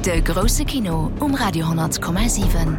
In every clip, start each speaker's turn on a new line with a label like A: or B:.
A: De grousse Kino um Radio 10,7.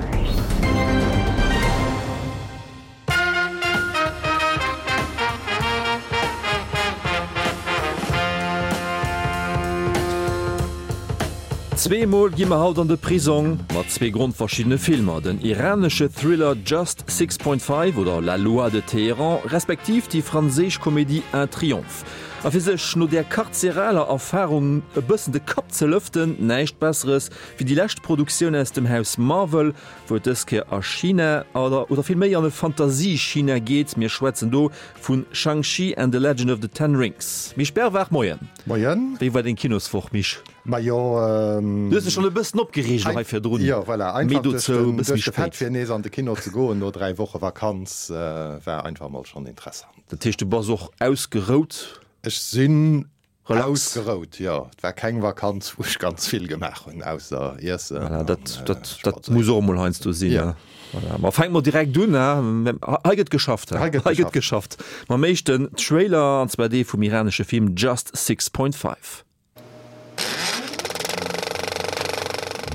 B: Zweemol gi mer haut an de Prisong mat zwee grondverschiddene Filmer, den iranesche Thriller Just 6.5 oder La loi de Téhéran respektiv déi franséisch Komedie Un triomphe. A fir sech no där karzeraler Erfarung e bëssen de Kapp ze lëften, näischt Besseres wéi déi lescht Produktioun aus dem Haus Marvel, wou et dës Kéier a China, oder oder vill méi an e Fantasie-China geet. Mir schwätzen do vu Shang-Chi and the Legend of the Ten Rings. Misch Berwaach, Moien.
C: Moien.
B: Wéi war deng Kinoswoch, Misch?
C: Majo,
B: Du hues dech schonn e bëssen opgereegt elo hei virdrun.
C: Jo, voilà, einfach duerch den, duerch de Fait fir nees an de Kino ze goen no 3 Woche Vakanz war einfach mol schonn interessant.
B: Dat heescht, du bass och ausgerout?
C: Ech sinn ausgerout, jo. Et war keng Vakanz, wou ech ganz vill gemaach hunn, ausser iessen.
B: Voilà, dat, dat, dat muss och emol heiansdo sinn, jo. Voilà, ma fänke mer direkt un, he? Hei gëtt geschafft, he? Hei gëtt geschafft. Mam éischten Trailer, an zwar dee vum iranesche Film Just 6.5.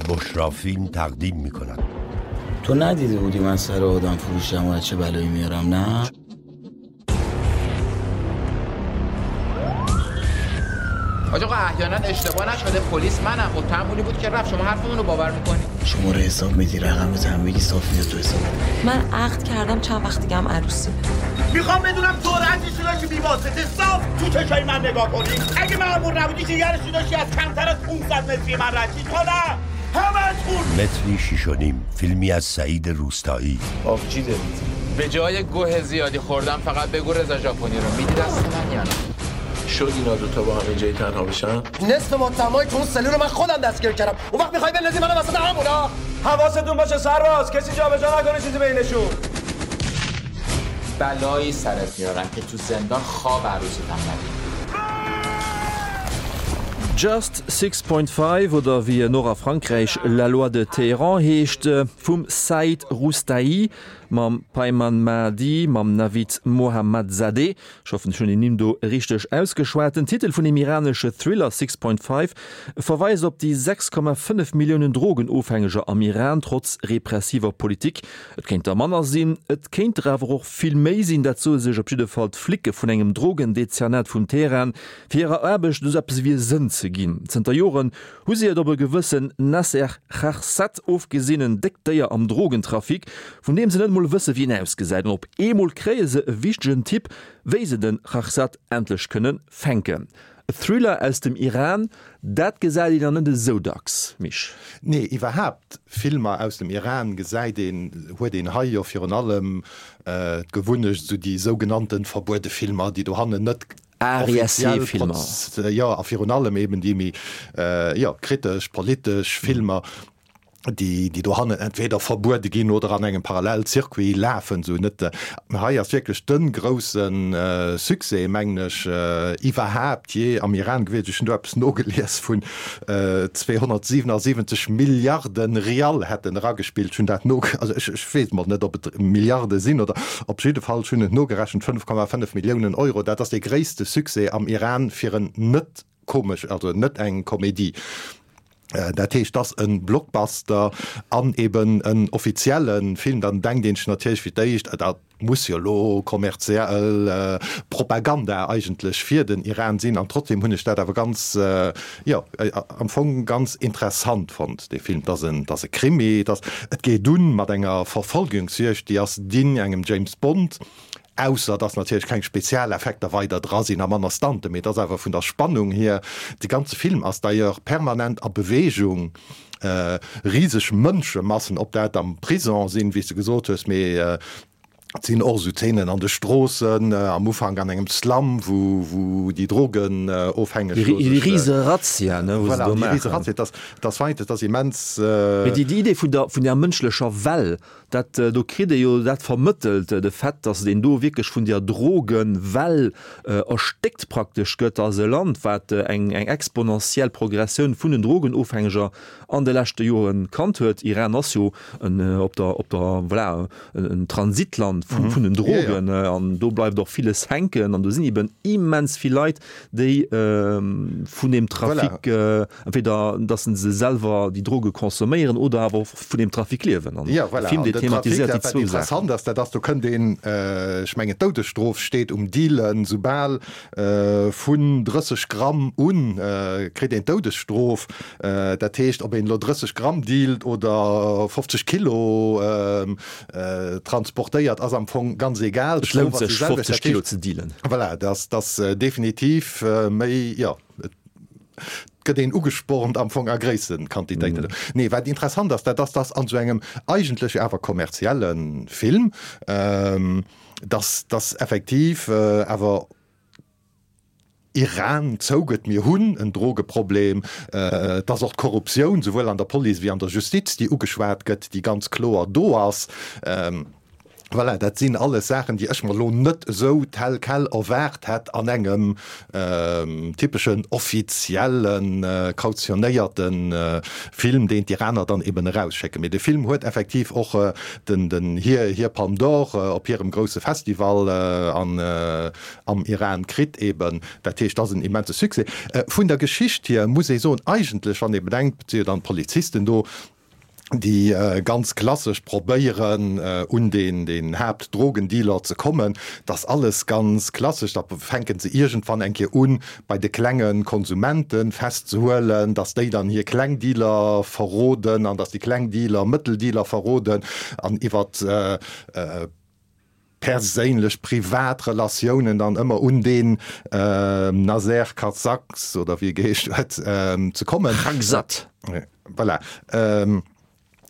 D: بشرا فیلم تقدیم میکند
E: تو ندیده بودی من سر آدم فروشم و چه بلایی میارم نه؟
F: حاج آقا احیانا اشتباه نشده پلیس منم متهم بود که رفت شما حرفمون رو باور میکنی
E: شما رو حساب میدی رقم هم میگی صاف میاد تو حساب
G: من عقد کردم چند وقت دیگه هم عروسی
H: میخوام بدونم سرعتش داشتی بی واسطه صاف تو چشای من نگاه کنی اگه مأمور نبودی جگرش داشتی از کمتر از 500 متری من رد شی تو نه همتون
D: متری شیش و نیم فیلمی از سعید روستایی
F: آبجی دارید به جای گوه زیادی خوردم فقط بگو رضا ژاپنی رو میدی دست من یا نه
I: شد اینا دوتا با هم اینجایی تنها بشن
J: نصف متهمای تو اون سلول رو من خودم دستگیر کردم اون وقت میخوای بندازی منو وسط همونا
K: حواستون باشه سرباز کسی جابجا نکنه چیزی بینشون
F: بلایی سرت میارم که تو زندان خواب عروستم ندید
B: Just 6.5 oder wéi en och a Frankräich La loi de Téhéran heescht, vum Saeed Roustayi mam Payman Maadi, mam Navid Mohammadzadeh, ech hoffen ech hunn déi Nimm do richteg ausgeschwat. Den Titel vun dem iranesche Thriller 6.5 verweist op déi 6,5 Milliounen Drogenofhängeger am Iran, trotz repressiver Politik. Et kéint der manner sinn, et kéint der awer och vill méi sinn, dat soe sech op jidde Fall d'Flicke vun engem Drogendezernat vun Teheran, fir hirer Aarbecht esou eppes ewéi e Sënn ze ginn. Zënter Joren hu si et op e gewëssen Nasser Kharsat ofgesinn, en déckt Déier am Drogentrafic, vun deem se net emol wësse wéi en ausgesäit. An op eemol kréie se e wichtegen Tipp, wéi se de Kharsat endlech kënne fänken. E Thriller aus dem Iran, dat gesäit een dann net esou dacks, Misch.
C: Nee, iwwerhaapt Filmer aus dem Iran gesäit een, huet een hei jo virun allem d'Gewunnecht, esou déi sougenannten verbuede Filmer, déi dohannen net offiziell
B: ARISE-Filmer.
C: Jo, a virun allem eben déi méi, jo, kritesch, politesch Filmer, déi, déi dohannen entweder verbuede ginn oder an engem Parallelcircuit lafen, esou net. Hei ass wierklech de grousse Succès, mengen ech, iwwerhaapt jee am Iran gewiescht. Ech hunn do eppes nogelies vun 277 Milliarde Rial hätt en eragespillt. Ech hunn dat no, also ech, ech weess mol net, ob et Milliarde sinn oder, op jidde Fall, ech hunn et nogerechent, 5,5 Milliounen Euro. Dat ass dee gréisste Succès am Iran fir en net komesch, also net eng Komedie. Dat heescht, et ass e Blockbuster an eben en offizielle Film. Dann denkt een sech natierlech fir d'éischt, dat muss jo elo kommerziell Propaganda eigentlech fir den Iran sinn. An trotzdem hunn ech dat awer ganz, jo, am Fong ganz interessant fonnt, dee Film. Et ass en, et ass e Krimi, et ass, et geet un mat enger Verfolgungsjuegd, déi ass digne engem James Bond. Ausser dass natierlech keng Spezialeffekter weider dra sinn a manner Stunten, mee et ass awer vun der Spannung hier, de ganze Film ass d'ailleurs permanent a Bewegung, riseg Mënschemassen, ob dat am Prison sinn, wéi s de gesot hues, mee et sinn och esou Zeenen an de Stroossen, am Ufank an engem Slum, wou wou déi Drogenofhängeg
B: do sech. Déi rise Razzia, ne, wou se
C: Voilà,
B: do
C: déi rise
B: maachen.
C: Razzia, et ass, et ass weit, et ass immens.
B: Mee déi Idee vun der, vun der mënschlecher Well, Dat do kritt ee jo dat vermëttelt, de Fait, datt een do wierklech vun där Drogenwell erstéckt praktesch gëtt, ass e Land, wat eng exponentiell Progressioun vun den Drogenofhängeger an de leschte Jore kannt huet. Iran ass jo en op der, op der, voilà, en Transitland. an vun den Drogen an do bleift och villes hänken an do sinn eben immens vill Leit, déi vun deem Trafic, entweder datt se selwer déi Droge consomméieren oder awer och vun deem Trafic liewen. An
C: de Film, dee thematiséiert déi zwou Saachen. Wat interessant ass, dat ass, do kënnt een, ech mengen d'Doudesstrof steet um Dealen, soubal vun 30 Gramm un kritt een d'Doudesstrof. Dat heescht, ob een elo 30 Gramm dealt oder 50 Kilo transportéiert, ass am Fong ganz egal.
B: Et lount sech 50 Kilo ze dealen.
C: Voilà, dat ass definitiv méi, jo, et gëtt een ugespornt am Fong a gréisse Quantitéiten. Nee, wat interessant ass, dat ass, dass an esou engem eigentlech awer kommerzielle Film, dass dass effektiv awer Iran zougëtt, mir hunn en Drogeproblem, dass och d'Korruptioun souwuel an der Police wéi an der Justiz, déi ugeschwat gëtt, déi ganz kloer do ass. Voilà, dat sinn alles Saachen, déi ech mer elo net esou tel quel erwaart hätt an engem typeschen offiziellen, kautionéierte Film, deen d'Iraner dann eben erausschécken. Mee de Film huet effektiv och den hir hir Palme d'Or op hirem grousse Festival an am Iran kritt eben. Dat heescht, dat ass en immense Succès. Vun der Geschicht hier muss ee soen, eigentlech, wann ee bedenkt, et si jo dann d'Polizisten do, déi ganz klassesch probéieren un deen Haaptdrogendealer ze kommen, dat ass alles ganz klassesch, da fänke se iergendwann eng Kéier un, bei de klenge Konsumente festzehuelen, datt déi dann hir kleng Dealer verroden an datt déi kleng Dealer mëttel Dealer verroden an iwwer perséinlech, privat Relatiounen dann ëmmer un deen Naser Karzaks oder wéi e geheescht huet ze kommen.
B: Khakzad.
C: Voilà.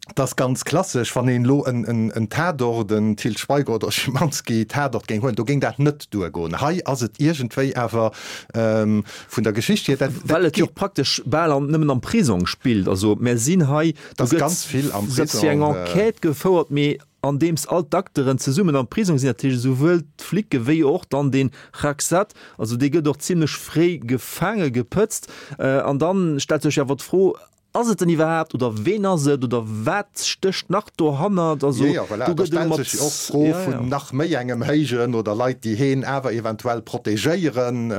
C: Dat ass ganz klassesch. Wann een elo en Tatort, en Til Schweiger oder Schimanski Tatort géing huelen, do géing dat net duergoen. Hei ass et iergendwéi awer vun der Geschicht hier, dat
B: Well et jo och praktesch bal an, nëmmen am Prisong spillt. Also mär sinn hei, do
C: gëtt ganz vill am
B: Prisong eng Enquête gefouert, mee andeems all d'Acteuren zesummen am Prisong sinn, dat heescht esouwuel d'Flicke wéi och dann dee Khakzad, also dee gëtt och zimlech fréi gefaange gepëtzt. An dann stellt sech awer d'Fro, Ass et en iwwerhaapt oder ween ass et oder wat stécht nach dohannert?
C: Also Jo, jo, voilà, do gëtt elo stellt sech och d'Fro vun nach méi engem Héijen oder Leit, déi heen awer eventuell protegéieren.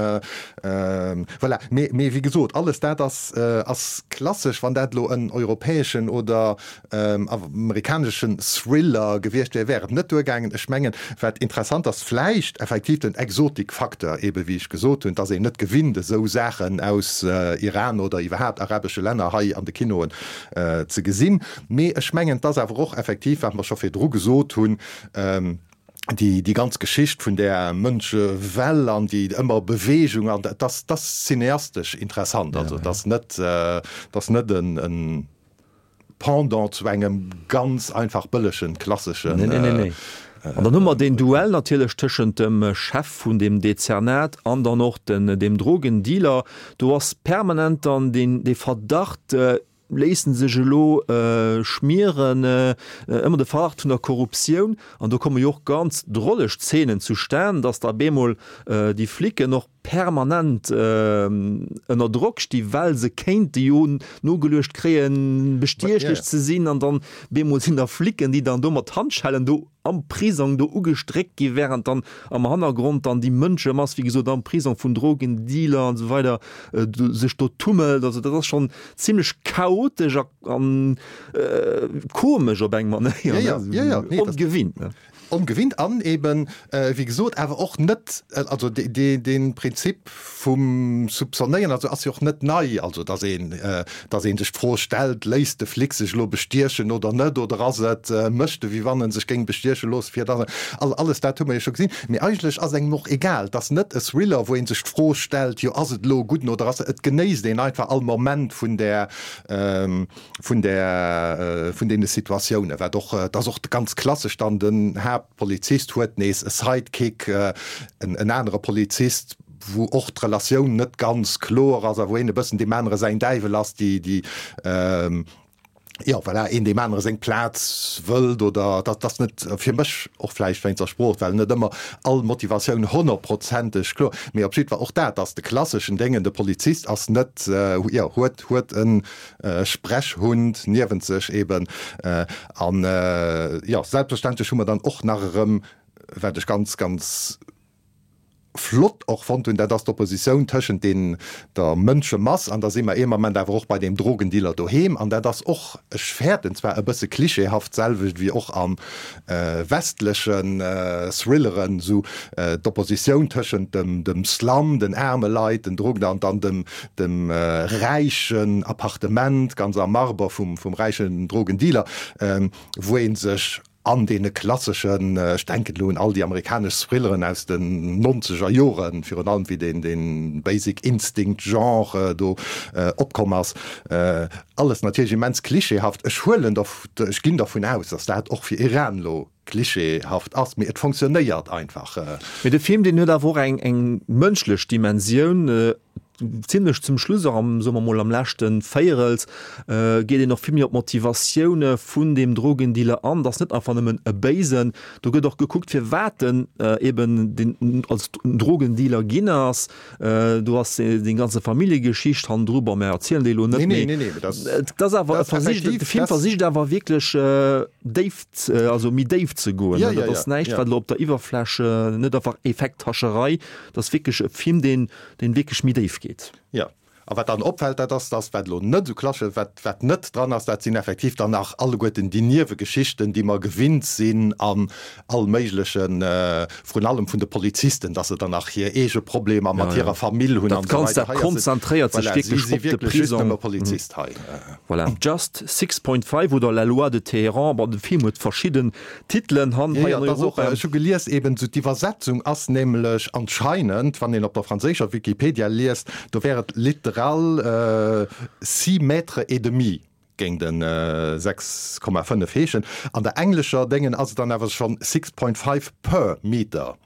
C: Voilà, mee, mee wéi gesot, alles dat ass, ass klassesch. Wann dat elo en europäeschen oder amerikaneschen Thriller gewiescht wär, wär et net duergaangen. Ech mengen, wat interessant ass, vläicht effektiv den Exotikfacteur, ebe wéi ech gesot hunn, dass een net gewinnt esou Saachen aus Iran oder iwwerhaapt arabesche Länner hei an de Kinoen ze gesinn. Mee ech mengen, et ass awer och effektiv, wat mer scho virdru gesot hunn, déi, déi ganz Geschicht vun där Mënschewell an déi ëmmer Bewegung an dat ass, dat ass cineastesch interessant. Also et ass net, et ass net en, en Pendant zu engem ganz einfach bëllegen, klasseschen.
B: Nee, nee, nee, nee. An dann hu mer deen Duell natierlech tëschent dem Chef vun deem Dezernat an dann och den, deem Drogendealer. Do ass permanent dann deen, dee Verdacht, léissen sech elo schmieren, ëmmer de Verdacht vun der Korruptioun. An do komme jo och ganz droleg Zeenen zustan, dass da bemol déi Flicken och permanent ënner Drock sti well se kéinte jo nogeluecht kréien, bestiechlech ze sinn an dann bemol sinn da Flicken, déi dann do mat Handschellen do am Prisong do ugestréckt gi während dann am Hannergrond dann déi Mënschemass, wéi gesot am Prisong vun Drogendealer an esou weider sech do tummelt. Also dat ass schonn zimlech chaotesch a komesch op eng Manéier,
C: ongewinnt. Ongewinnt an eben, wéi gesot, awer och net, also dee Prinzip vum Soupçonnéieren, also ass jo och net nei, also datt een, datt ee sech d'Fro stellt, léisst de Flic sech elo bestiechen oder net, oder ass et, mécht e wéi wann e sech géing bestieche loosse fir datt, alles dat hu mer jo scho gesinn. Mee eigentlech ass engem och egal, et ass net e Thriller, wou ee sech d'Fro stellt, jo ass et elo e gudden oder ass et, et genéisst een einfach all Moment vun där, vun där, vun deene Situatiounen, wat och, et ass och ganz klassesch dann, den Haaptpolizist huet nees e Sidekick, en, en anere Polizist, wou och d'Relatioun net ganz kloer ass a wou een e bëssen deem anere säin Däiwel ass, déi, déi, jo, voilà, een deem anere seng Plaz wëllt oder dat ass net fir mech och vläicht wéinst der Sprooch, well net ëmmer all Motivatioun honnertprozenteg kloer, mee op jiddwer och dat ass de klasseschen Déngen, de Polizist ass net, jo, huet, huet e Sprechhund niewent sech eben. An jo, selbstverständlech hu mer dann och nach erëm. Wat ech ganz, ganz flott och fonnt hunn, dat ass d'Oppositioun tëschent deen, der Mënschemass, an da si mer ee Moment awer och bei deem Drogendealer doheem, an dat ass och, ech fäerten zwar e bësse klischeehaft, d'selwecht wéi och a westlechen Thrilleren, esou d'Oppositioun tëschent dem, dem Slum, den aarme Leit, den Drogen, an dann dem, dem räichen Appartement, ganz am Marber vum, vum räichen Drogendealer, wou ee sech An deene klasseschen, ech denken elo un all déi amerikanesch Thrilleren aus den nonzeger Joren, virun allem wéi deen dee Basic Instinct Genre do opkomm ass, alles natierlech immens klischeehaft. Ech huelen der, ech ginn dervun aus, datt dat och fir Iran elo klischeehaft ass, mee et fonctionnéiert einfach.
B: Mee de Film, deen huet awer och eng eng mënschlech Dimensioun. Zimlech zum Schluss, och am, soe mer mol, am leschte Véierels, geet een och vill méi op d'Motivatioune vun deem Drogendealer an. Et ass net einfach nëmmen e Béisen. Do gëtt och gekuckt, firwat en eben den als Drogendealer ginn ass. Do ass déi ganze Familljegeschicht hannendru. Bon, mer erzielen déi elo net, mee et ass awer e versicht, de Film versicht awer wierklech déif, also méi déif ze goen. Dat ass näischt, wat elo op der Iwwerfläch, net einfach Effekthascherei. Et ass wierklech e Film, deen deen wierklech méi déif geet.
C: Jo, a wat dann opfält, dat ass, dass, wat elo net esou klassesch, wat, wat net dran ass, dat sinn effektiv dann nach alleguerten déi Niewegeschichten, déi mer gewinnt sinn an all méiglechen, vrun allem vun de Polizisten, dass se dann nach hir eege Problemer mat hirer Famill hunn an
B: esou weider. Dat Ganzt, dat konzentréiert sech
C: wierklech op de Prisong. Voilà, si si wierklech just nëmme Polizist hei.
B: Voilà, Just 6.5 oder La loi de Téhéran, bon, de Film huet verschidden Titelen han hei an Europa.
C: Ech hu gelies, eben esou d'Iwwersetzung ass nämlech anscheinend, wann een op der franséischer Wikipedia liest, do wär et literal six mètres et demi géing den 6,5 heeschen. An der englescher Déngen ass et dann awer schonn 6.5 per meter.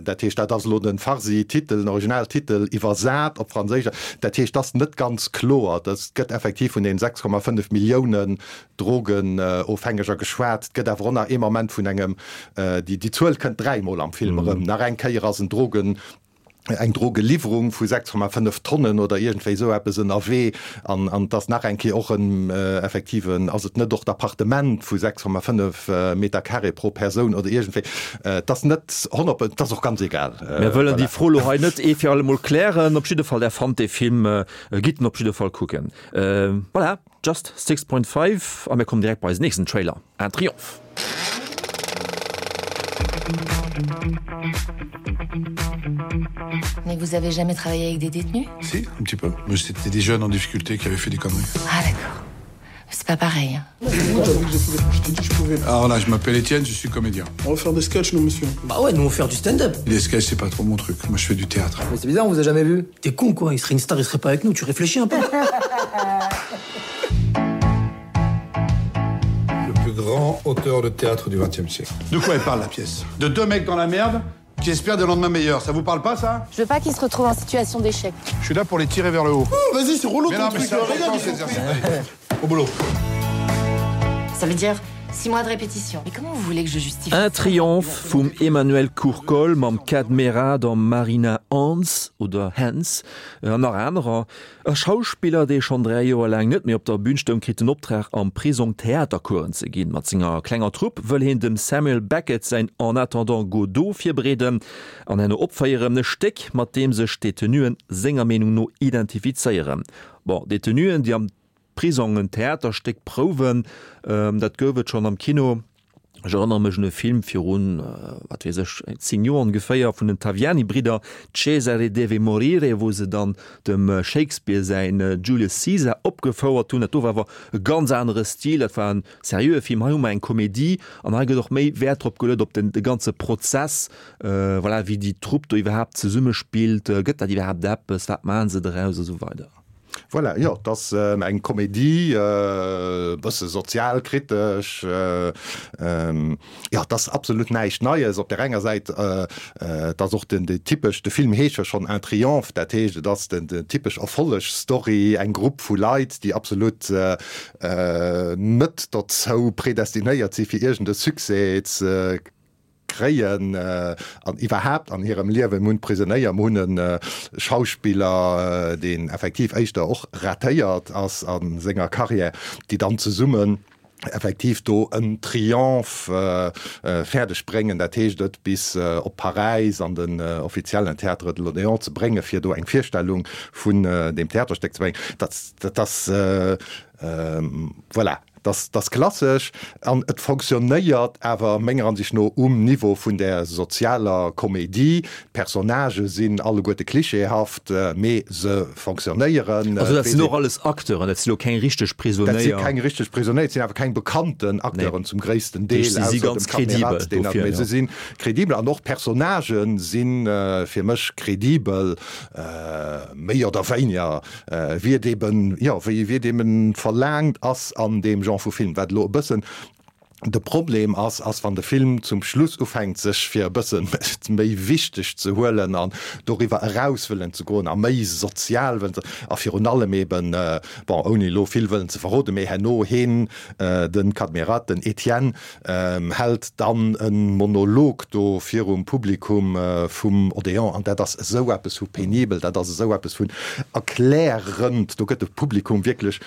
C: Dat heescht, dat ass elo de Farsi-Titel, den Originaltitel iwwersat op Franséisch. Dat heescht, dat ass net ganz kloer. Et gëtt effektiv vun den 6,5 Milliounen Drogenofhängeger geschwat. Et gëtt awer och nach ee Moment vun engem, déi Zuel kënnt dräimol am Film erëm, nach eng Kéier ass en Drogen, eng Drogeliwwerung vu 6,5 Tonnen oder iergendwéi esou eppes ënnerwee an an et ass nach eng Kéier och en effektiven, ass et net och d'Appartement vu 6,5 Meter carré pro Persoun oder iergendwéi, et ass net 100, et ass och ganz egal.
B: Mir wëllen déi Fro elo hei net ee fir alle Mol klären. Op jidde Fall, Der fannt dee Film, gitt en op jidde Fall kucken. Voilà. Just 6.5 a mir kommen direkt bei eisen nächsten Trailer, Un Triomphe.
A: Mais vous avez jamais travaillé avec des détenus
L: Si, un petit peu. Mais c'était des jeunes en difficulté qui avaient fait des conneries.
A: Ah d'accord. C'est pas pareil. Hein.
L: Alors là, je m'appelle Étienne, je suis comédien.
M: On va faire des sketchs, nous, monsieur.
J: Bah ouais, nous, on va faire du stand-up.
L: Les sketchs, c'est pas trop mon truc. Moi, je fais du théâtre.
J: Mais c'est bizarre, on vous a jamais vu. T'es con, quoi. Il serait une star, il serait pas avec nous. Tu réfléchis un peu.
L: Le plus grand auteur de théâtre du XXe siècle. De quoi elle parle, la pièce De deux mecs dans la merde qui espèrent des lendemains meilleurs. Ça vous parle pas, ça
A: Je veux pas qu'ils se retrouvent en situation d'échec.
L: Je suis là pour les tirer vers le haut.
M: Oh, vas-y, c'est relou
L: mais
M: ton
L: non, mais
M: truc.
L: c'est important,
M: Regarde,
L: cet Au boulot.
A: Ça veut dire 6 mois de répétition. Mais comment vous voulez que je justifie
B: Un Triomphe vum Emmanuel Courcol mam Kad Merad a Marina Hands oder Hens an nach anerer. E Schauspiller, dee schonn 3 Joer laang net méi op der Bün stoung, kritt den Optrag am Prisong Theatercoursen ze ginn. Mat senger klenger Trupp wëll hien dem Samuel Beckett säin En attendant Godot virbereeden an herno opféieren. E Stéck, mat deem sech d'Detenuen senger Meenung no identifizéieren. Bon, Detenuen, déi am Prisong en Theaterstéck prouwen, dat gouf et schonn am Kino. Ech erënnere mech un e Film virun, wat weess ech, 10 Joer ongeféier, vun den Taviani-Bridder, Cesare deve morire, wou se dann dem Shakespeare säin Julius Caesar opgefouert hunn. Dat do war awer e ganz anere Stil, dat war en seriöe Film. Hei hu mer eng Komedie an hei gëtt och méi Wäert drop geluet, op den, de ganze Prozess, voilà, wéi déi Trupp do iwwerhaapt zesummespillt, gëtt dat iwwerhaapt eppes, wat maache se doraus a sou weider.
C: Voilà, jo, et ass eng Komedie, e bësse sozialkritesch, jo, et ass absolut näischt Neies. Op där enger Säit, et ass och den typesch, de Film heescht jo schonn Un triomphe, dat heescht, et ass den typesch Erfollegsstory, eng Grupp vu Leit, déi absolut net dozou predestinéiert si fir iergend e Succès ze kréien an iwwerhaapt an hirem Liewen. Mir hunn d'Prisonéier, mir hunn e Schauspiller, deen effektiv éischter och ratéiert ass a senger Carrière, déi dann zesummen. Effektiv do en Triomphe fäerdeg bréngen, dat heescht et bis op Paräis an den offiziellen Théâtre de l'Odéon ze bréngen, fir do eng Virstellung vun deem Theaterstéck ze bréngen, dat dat ass voilà, dat ass klassesch an et fonctionnéiert awer menger Ansicht no um Niveau vun där sozialer Comédie. D'Personnagë sinn alleguerte klischeehaft, mee se fonctionnéieren.
B: Also dat sinn och alles Acteuren, dat sinn elo keng richteg Prisonéier.
C: Dat si keng richteg Prisonéier, et sinn awer keng bekannten Acteuren zum gréissten Deel,
B: Si si ganz kredibel
C: dofir, jo. Se si kredibel an och d'Personnagë si fir mech kredibel, méi oder wéiniger, wéi et eben, jo, wéi et eben verlaangt ass an deem Genre vu Film, wat elo e bëssen De Problem ass, ass wann de Film zum Schluss ufänkt sech fir e bësse méi wichteg ze huelen an doriwwer eraus wëllen ze goen a méi sozial wëllen ze, a virun allem eben, bon, ouni elo vill wëllen ze verroden, mee herno heen, de Kadmirat, den Etienne, hält dann e Monolog do virum Publikum vum Odéon an dat ass esou eppes vu penibel, dat ass esou eppes vun erklärend, do gëtt de Publikum wierklech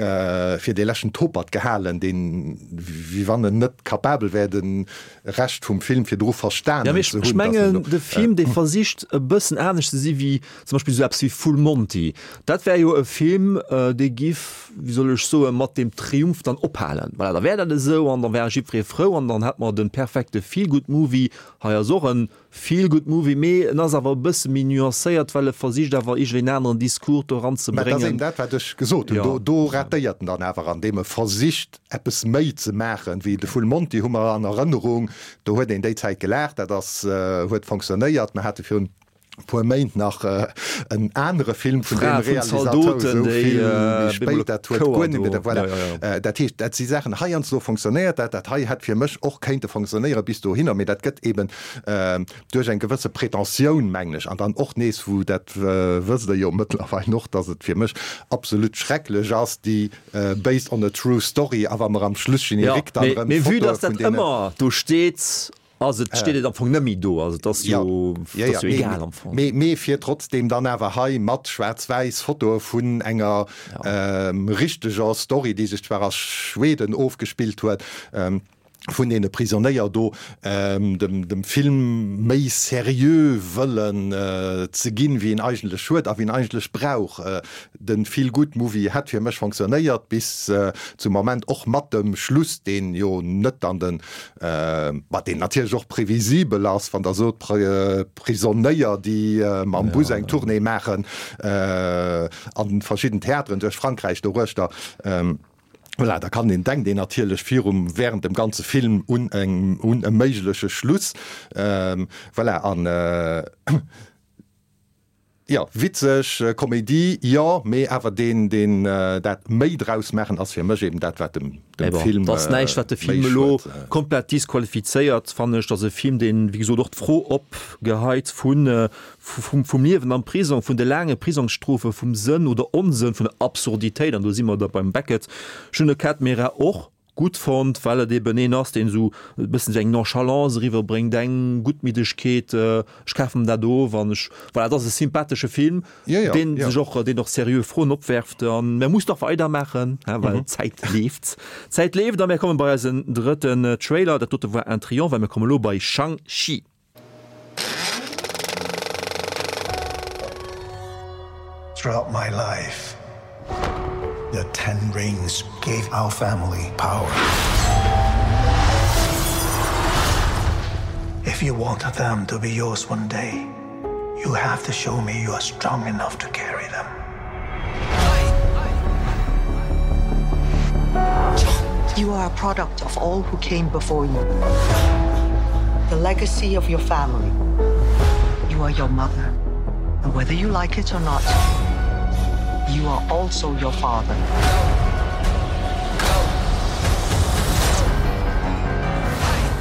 C: fir dee leschten Topert gehalen, deen, wéi wann en net capabel wär, de Rescht vum Film virdru verstanen
B: ze hunn. Ech mengen, de Film, dee versicht e bëssen anescht ze si wéi zum Beispill esou eppes wéi Full Monty. Dat wär jo e Film, dee giff, wéi soll ech soen, mat deem Triumph dann ophalen. Voilà, da wär dat esou an da wär jiddweree frou an dann hätt mer de perfekte Feel-Good-Movie. Hei ass och en Feel-good Movie, mee en ass awer e bësse méi nuancéiert, well e versicht awer iergendwéi en aneren Discours do eran ze
C: Mä dat ass
B: bréngen.
C: eben dat, wat ech gesot hunn. Do, do ratéiert en dann awer, andeem e versicht, eppes méi ze maachen wéi de Full Monty hu mer an Erënnerung. Do huet een déi Zäit gelaacht, dat ass, huet fonctionnéiert. Mer hate virun e puer Méint nach en anere Film vun deem
B: D'Fra vun
C: Realisateur,
B: Zaldoten,
C: esou
B: déi
C: vill méi
B: bemol
C: spéit, dat huet
B: Chouer
C: guer net
B: do.
C: méi, voilà.
B: Ja, ja, ja.
C: Dat heescht, dat si Saachen, heiansdo fonctionnéiert dat, dat hei hätt fir mech och kéinte fonctionnéiere bis dohinner, mee dat gëtt eben duerch eng gewësse Pretentioun, mengen ech, an dann och nees, wou, dat wësst Der jo mëttlerweil och, dass et fir mech absolut schrecklech ass, déi based on a true story, a wa mer am Schlussgenerique dann erëm
B: Mee vue
C: Fotoe
B: dass
C: vun
B: dat
C: deene.
B: ëmmer do steet, ass et, steet et am Fong net méi do. Also et ass jo, et ass jo egal am Fong.
C: Mee, mee fir trotzdem dann awer hei mat schwaarz-wäiss Fotoe vun enger richteger Story, déi sech zwar a Schweden ofgespillt huet, vun deene Prisonéier do dem Film méi seriö wëllen ze ginn, wéi en eigentlech huet a wéi en eigentlech brauch. De Feel-Good-Movie hätt fir mech fonctionnéiert bis zum Moment, och mat dem Schluss, deen jo net an den, ma deen natierlech och previsibel ass, wann Der sot, Prisonéier, déi mam Bus eng Tournée maachen an verschidden Theateren duerch Frankräich doruechter. Voilà, da kann een, denkt een natierlech virum, während dem ganze Film un eng, un e méigleche Schluss. Voilà, an jo, witzeg Komedie, jo, mee awer deen, deen dat méi draus maachen, ass fir mech eben dat, wat dem, dem Film
B: méi schued. Et ass näischt, wat de Film elo komplett disqualifizéiert, fannen ech. Et ass e Film, deen, wéi gesot, och d'Fro opgeheit vun, vum Liewen am Prisong, vun de laange Prisongsstrofe, vum Sënn oder Onsënn, vun der Absurditéit, an do si mer da beim Beckett. Ech hunn de Cat Mera och gutt fonnt, well et eben een ass, deen esou e bëssen esou eng Nonchalance eriwwerbréngt, eng Guttmiddegkeet, ech kafen dat of an ech, voilà, et ass e sympathesche Film, deen sech och, deen och seriö Froen opwerft. An mer mussen och weidermaachen, well d'Zäit leeft. D'Zäit leeft a mir komme bei eisen drëtten Trailer. Dat dote war Un Triomphe a mir komme lo bei Shang-Chi.
N: Throughout my life, the Ten Rings gave our family power. If you want them to be yours one day, you have to show me you are strong enough to carry them.
O: You are a product of all who came before you. The legacy of your family. You are your mother. And whether you like it or not, you are also your father.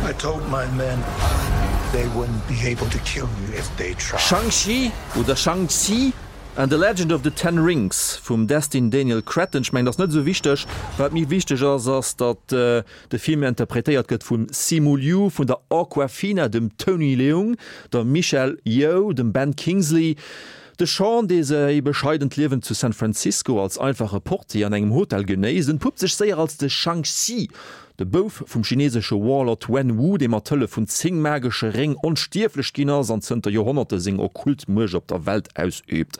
N: I told my men they wouldn't be able to kill you if they tried.
B: Shang-Chi
N: oder
B: Shang-Chi And the Legend of the Ten Rings vum Destin Daniel Cretton. Ech mengen, dat ass net esou wichteg. Wat méi wichteg ass, ass datt de Film interpretéiert gëtt vum Simu Liu, vun der Awkwafina, dem Tony Leung, der Michelle Yeoh, dem Ben Kingsley. De Sean, dee säi bescheident Liewen zu San Francisco als einfache Portier an engem Hotel genéisst, entpuppt sech séier als de Shang-Chi, de Bouf vum chinesesche Warlord Wen Wu, dee mat Hëllef vun 10 magesche Réng onstierflech ginn ass an zënter Joerhonnerte seng okkult Muecht op der Welt ausüübt.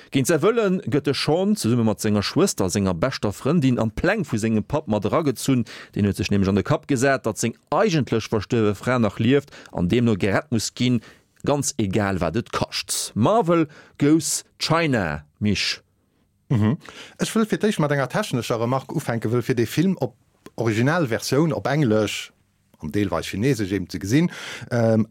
B: Géint säi Wëlle gëtt de Sean, zesumme mat senger Schwëster a senger beschter Frëndin, an d'Pläng vu sengem Papp mat eragezunn. Deen huet sech nämlech an de Kapp gesat, datt seng eigentlech verstuerwe Fra nach lieft an deemno gerett muss ginn, Ganz egal wat et kascht. Marvel goes China, Misch.
C: Ech wëll fir d'éischt mat enger technescher Remark ufänken, wëll fir dee Film op Originalversioun op Englesch an deelweis Chinesesch eben ze gesinn,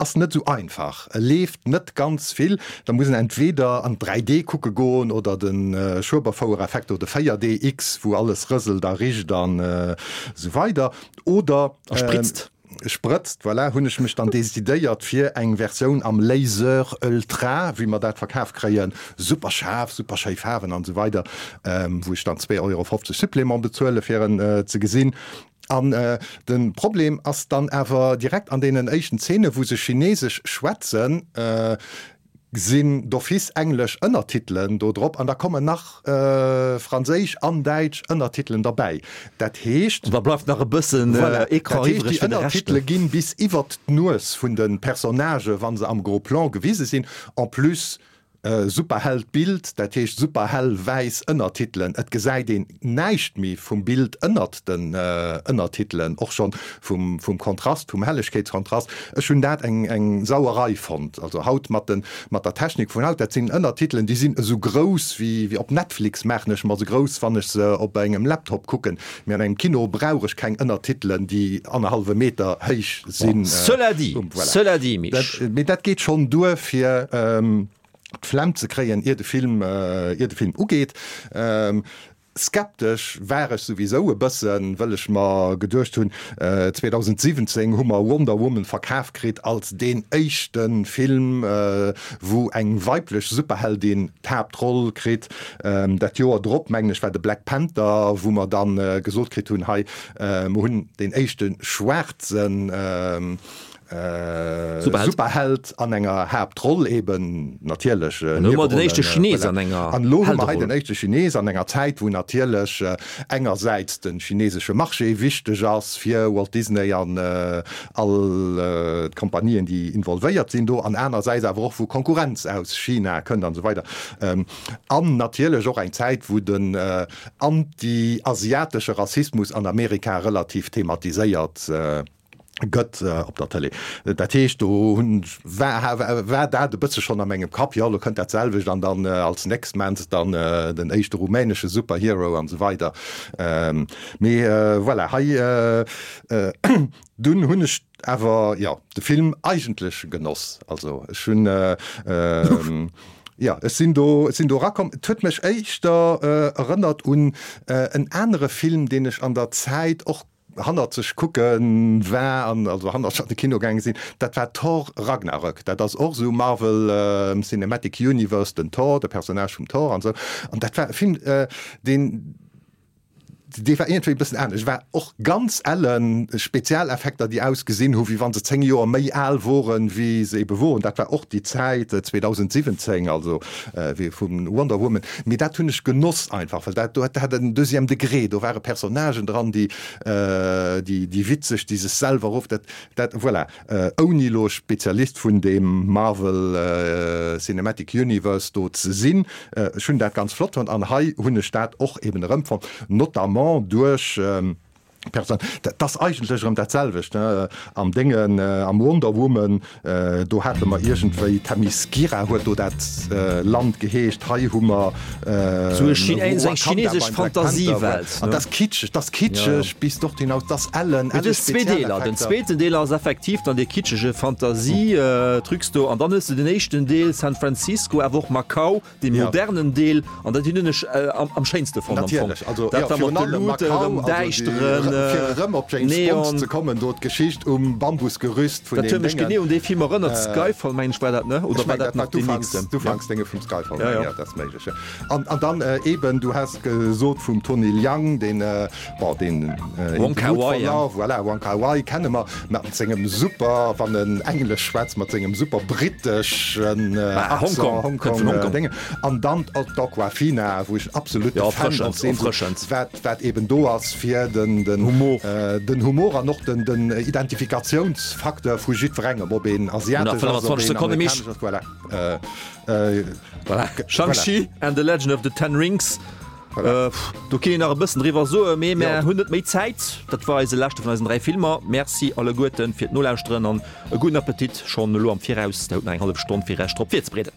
C: ass net esou einfach. E leeft net ganz vill, da muss een entweder an 3D kucke goen oder de Schueberfouer-Effekt do, de 4DX, wou alles rëselt a richt an esou weider, oder.
B: A spritzt.
C: Sprëtzt, voilà, hunn ech mech dann decidéiert fir eng Versioun am Laser Ultra, wéi mer dat verkaf kréien, super schaarf, super schéi Faarwen an esou weider, wou ech dann 2,50 Euro Supplément bezuele fir en ze gesinn. An de Problem ass dann awer direkt an deenen éischten Zeene wou se Chinesesch schwätzen, sinn d'office englesch Ënnertitelen do drop an da kommen nach franséisch an däitsch Ënnertitelen derbäi. Dat heescht.
B: An da bleift nach e bëssen
C: Ecran iwwreg fir de Rescht. Déi Ënnertitele ginn bis iwwert d'Nues vun de Personnagë wa se am Gros Plan gewise sinn. En plus super hellt Bild, dat heescht super hell wäiss Ënnertitelen. Et gesäit een näischt méi vum Bild ënnert den Ënnertitelen, och schonn vum vum Kontrast, vum Hellegkeetskontrast. Ech hunn dat eng eng Sauerei fonnt. Also haut mat den mat der Technik vun haut, dat sinn Ënnertitelen, déi sinn esou grouss wéi wéi op Netflix maachen ech mer se grouss, wann ech se op engem Laptop kucken. Mee an engem Kino brauch ech keng Ënnertitelen, déi annerhallwe Meter héich sinn.
B: Cela dit,
C: Voilà.
B: cela dit, Misch.
C: Dat, mee dat geet schonn duer fir d'Flemm ze kréien, ier de Film, ier de Film ugeet. Skeptesch war ech souwisou e bëssen, wëll ech mer geduecht hunn, 2017 hu mer Wonder Woman verkaf kritt als deen éischte Film, wou eng weiblech Superheldin d'Haaptroll kritt. Dat Joer drop, mengen ech, war de Black Panther, wou mer dann gesot kritt hunn, hei, mer hunn deen éischte schwaarzen, Superheld an enger Haaptroll eben natierlech.
B: An elo hu mer den éischte Chines an enger
C: An elo hu mer hei den éischte Chines an enger Zäit, wou natierlech engersäits de chinesesche Marché wichteg ass fir Walt Disney an all d'Kompanien, déi involvéiert sinn do, an anersäits awer och wou Konkurrenz aus China kënnt an esou weider. An natierlech och eng Zäit, wou den anti-asiatesche Rassismus an Amerika relativ thematiséiert gëtt op der Tëlee. Dat heescht, do hunn war war dat e bësse schonn a mengem Kapp, jo elo kënnt dat selwecht an dann als nächst Mens dann den éischte rumänesche Superhero an esou weider. Mee voilà, hei dunn hunn ech awer jo de Film eigentlech genoss. Also ech hunn jo ech sinn do ech sinn do erakomm. Et huet mech éischter erënnert un en anere Film, deen ech an der Zäit och hannerzeg kucke war an also hannerzeg an de Kino gaange sinn, dat war Thor Ragnarök. Dat ass och esou Marvel Cinematic Universe, den Thor, de Personnage vum Thor an esou. An dat war e Film, deen, dee war iergendwéi e bëssen anescht. War och ganz ellen, Spezialeffekter, déi ausgesinn hu wéi wa se 10 Joer méi al woren, wéi se ebe woren. Dat war och déi Zäit 2017, also wéi vu Wonder Woman. Mee dat hunn ech genoss einfach, well dat do hat en deuxième degré, do ware Personnagen dran, déi, déi, déi witzeg, déi sech selwer of, dat, dat, voilà. Ouni elo Spezialist vun deem Marvel Cinematic Universe do ze sinn, ech hunn dat ganz flott fonnt an hei hunn ech dat och eben erëmfonnt, notamment duerch, Person, dat ass eigentlech erëm dat selwecht, ne, am Déngen, am Wonder Woman, do hate mer iergendwéi, Themyscira huet do dat Land geheescht, hei hu mer
B: Sou eng chinesesch Fantasiewelt, ne?
C: An dat ass kitscheg, dat ass kitscheg bis dort hinaus, dat ass ellen,
B: elle Spezialeffekter. Den zweeten Deel ass effektiv dann dee kitschege Fantasie-Trucs do, an dann hues de den éischten Deel, San Francisco, awer och Macau, Dee modernen Deel, an dat hunn ech am schéinste fonnt am Fong.
C: Natierlech, also jo, virun allem Macau, also déi Fir erëm op James Bond ze kommen, do d'Geschicht um Bambusgerüst vun
B: deem Déngen. Dat huet mech genee un dee Film erënnert, Skyfall mengen ech war dat, ne? Oder war dat nach deen nächsten?
C: D'Ufanksdénge vum Skyfall, mengen ech, dat ass méiglech, jo. An an dann eben, du has gesot vum Tony Leung, deen, bon, deen
B: Wong Kar Wai, ja.
C: Voilà, Wong Kar Wai kenne mer mat sengem super, wann en Englesch schwätzt, mat sengem super britteschen
B: Accent,
C: Hongkong, Hongkong Déngen. An dann d'Awkwafina, wou ech en absolute Fan och sinn, wat, wat eben do ass fir den, den
B: Humor,
C: den Humor an och den, den Identifikatiounsfacteur vu jiddwerengem, ob een asiatesch ass, ob een amerikanesch ass, voilà.
B: Voilà. Shang-Chi and the Legend of the Ten Rings. Do kinnt een nach e bëssen driwwer soen, mee mär hunn net méi Zäit. Dat war eise leschte vun eisen 3 Filmer. Merci alleguerten fir d'Nolauschteren an e gudden Appetit schonn elo am Viraus. Der hutt nach eng hallef Stonn fir Iech drop virzebereeden.